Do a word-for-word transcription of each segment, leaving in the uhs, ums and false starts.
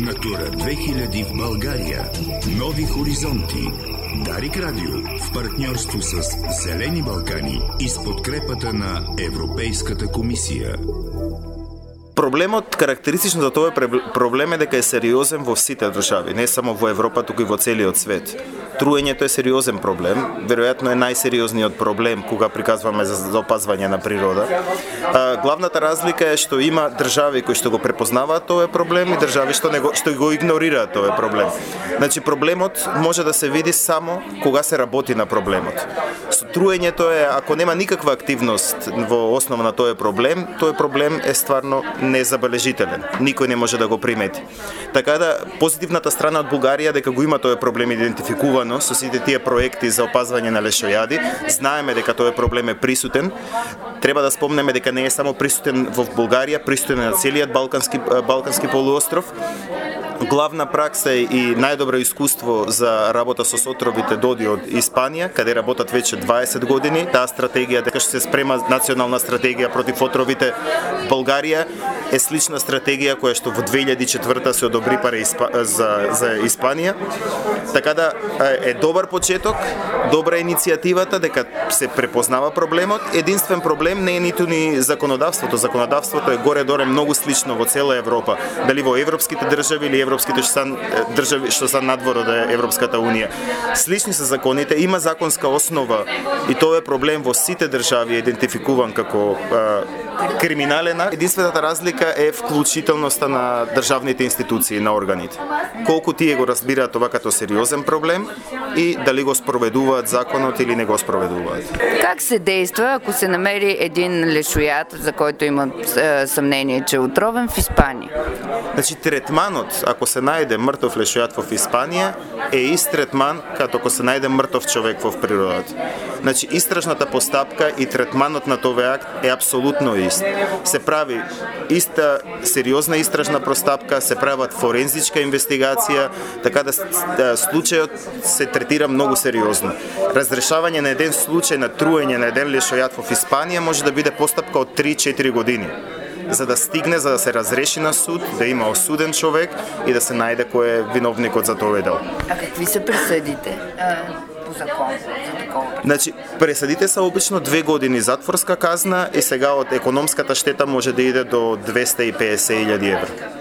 Натура две хиляди в България. Нови хоризонти. Дарик Радио в партньорство с Зелени Балкани и с подкрепата на Европейската комисија. Проблемот, карактеристично за тоа проблем е дека е сериозен во сите држави, не само во Европа, туку и во целиот свет. Труењето е сериозен проблем, веројатно е најсериозниот проблем кога приказваме за опазвање на природа. А, главната разлика е што има држави кои што го препознаваат тој проблем и држави што не го што го игнорираат тој проблем. Значи проблемот може да се види само кога се работи на проблемот. Со труењето е ако нема никаква активност во основа на тој проблем, тој проблем е стварно незабележителен. Никој не може да го примети. Така да позитивната страна од Бугарија дека го има тој проблем идентификувано со сите тие проекти за опазвање на лешојади, знаеме дека тој проблем е присутен. Треба да спомнеме дека не е само присутен во Бугарија, присутен е на целиот балкански балкански полуостров. Главна пракса и најдобро искуство за работа со отровите доди од Испанија, каде работат веќе дваесет години. Таа стратегија, дека што се спрема национална стратегија против отровите, Бугарија е слична стратегија која што во две илјади и четврта се одобри пари за за Испанија. Така да е добар почеток, добра иницијативата дека се препознава проблемот. Единствен проблем не е ниту ни законодавството. Законодавството е горе-долу многу слично во цела Европа, дали во европските држави или европските што се држави што се надвор од Европската унија. Слични се законите, има законска основа и тоа е проблем во сите држави идентификуван како а, криминален. Единствената разлика е вклучителноста на државните институции, на органите. Колку тие го разбираат ова като сериозен проблем и дали го спроведуваат законот или не го спроведуваат. Как се действа ако се намери един лешојад за којто има е, съмнение, че е отровен в Испанија? Значи третманот ако се најде мртов лешојад во Испанија е ист третман като ако се најде мртов човек во природата. Значи истражната постапка и третманот на тој акт е апсолутно ист. Се прави иста сериозна истражна постапка, се прават форензичка инвестигација, така да случајот се третира многу сериозно. Разрешавање на еден случај на труење на еден лешојад во Испанија може да биде постапка од три-четири години, за да стигне, за да се разреши на суд, да има осуден човек и да се најде кој е виновникот за тој дел. А какви се присудите по закон за такова? Значи, пресудите се обично две години затворска казна и сега од економската штета може да иде до двеста и педесет илјади евра.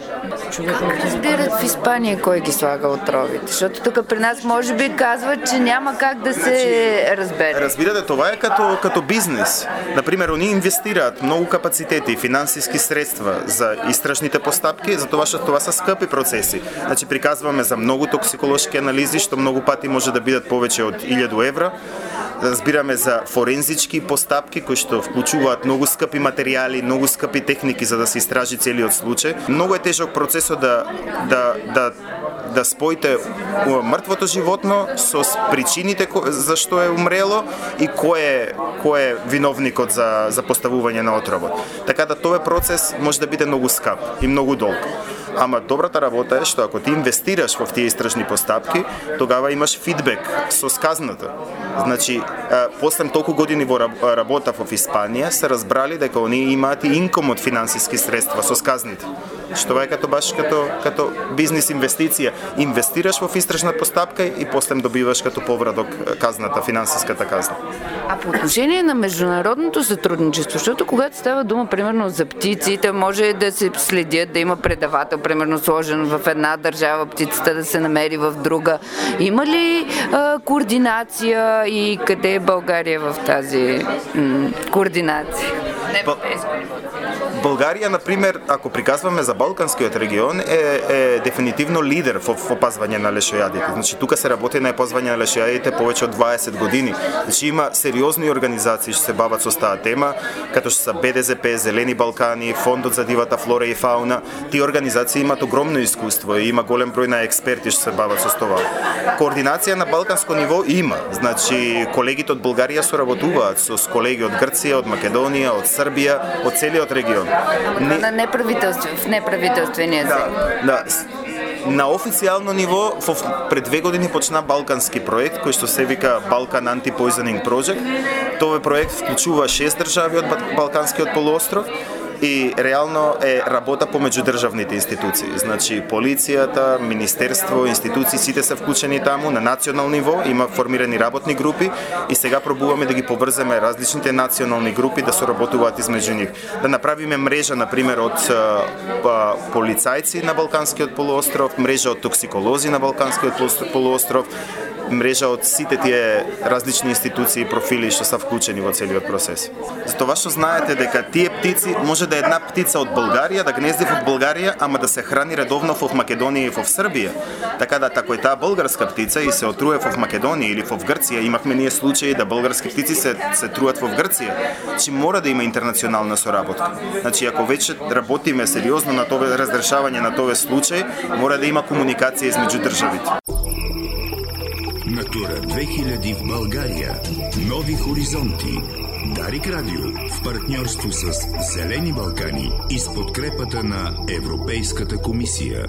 Как разбират в Испанија кој ги слага отровите? Защото тука при нас може би казват, че няма как да се разбере. Разбирате, това е като, като бизнес. Например, они инвестираат многу капацитети и финансиски средства за истражните постапки, за това што това са скъпи процеси. Значи, приказваме за многу токсиколошки анализи, што многу пати може да бидат повеќе од илјаду евра. Разбираме за форензички постапки кои што вклучуваат многу скъпи материјали, многу скъпи техники за да се истражи целиот случај. Многу е тежок процесот да да да да споите мртвото животно со причините зашто е умрело и кој е кој е виновникот за за поставување на отровот. Така да тој процес може да биде многу скап и многу долг. Ама добрата работа е што ако ти инвестираш во тие истражни постапки, тогава имаш фидбек со сказната. Значи, после толку години во работа во Испанија се разбрали дека оние имаат и инком од финансиски средства со сказните. Што е като баш като като бизнис инвестиција. Инвестираш во истражна постапка и после добиваш като повраток казната, финансиската казна. А по отношение на международното сътрудничество, защото когато става дума, примерно, за птиците, може да се следят, да има предавател, примерно, сложен в една държава, птицата да се намери в друга. Има ли а, координация и къде е България в тази м- координация? Не европейско ниво. Българија, например, ако приказваме за Балканскиот регион, е, е дефинитивно лидер во опазвање на лешојадите. Значи, тука се работи на опазвање на лешојадите повеќе од дваесет години. Значи, има сериозни организации што се бават со таа тема, като што се Б Д З П, Зелени Балкани, Фондот за дивата флора и фауна. Тие организации имаат огромно искуство и има голем број на експерти што се бават со тоа. Координација на балканско ниво има. Значи, колегите од Бугарија соработуваат со колеги од Грција, од Македонија, од Србија, од целиот регион. Не... На неправителство, в неправителствения да, да. На официјално ниво, пред две години почна балкански проект, кој што се вика Balkan Anti-Poisoning Project. Тој проект вклучува шест држави од Балканскиот полуостров и реално е работа помеѓу државните институции. Значи полицијата, министерство, институции, сите се вклучени таму на национално ниво, има формирани работни групи и сега пробуваме да ги поврземе различните национални групи да соработуваат измеѓу нив. Да направиме мрежа на пример од полицајци на Балканскиот полуостров, мрежа од токсиколози на Балканскиот полуостров, мрежа од сите тие различни институции и профили што се вклучени во целиот процес. Затоа што знаете дека тие птици, може да е една птица од Българија да гнезди во Българија, ама да се храни редовно во Македонија и во Србија. Така да тако е таа българска птица и се отруе во Македонија или во Грција, имавме ние случаи да български птици се се труат во Грција. Значи мора да има интернационална соработка. Значи ако веќе работиме сериозно на тоа разрешавање на тој случај, мора да има комуникација измеѓу државите. Натура две хиляди в България. Нови хоризонти. Дарик Радио в партньорство с Зелени Балкани и с подкрепата на Европейската комисия.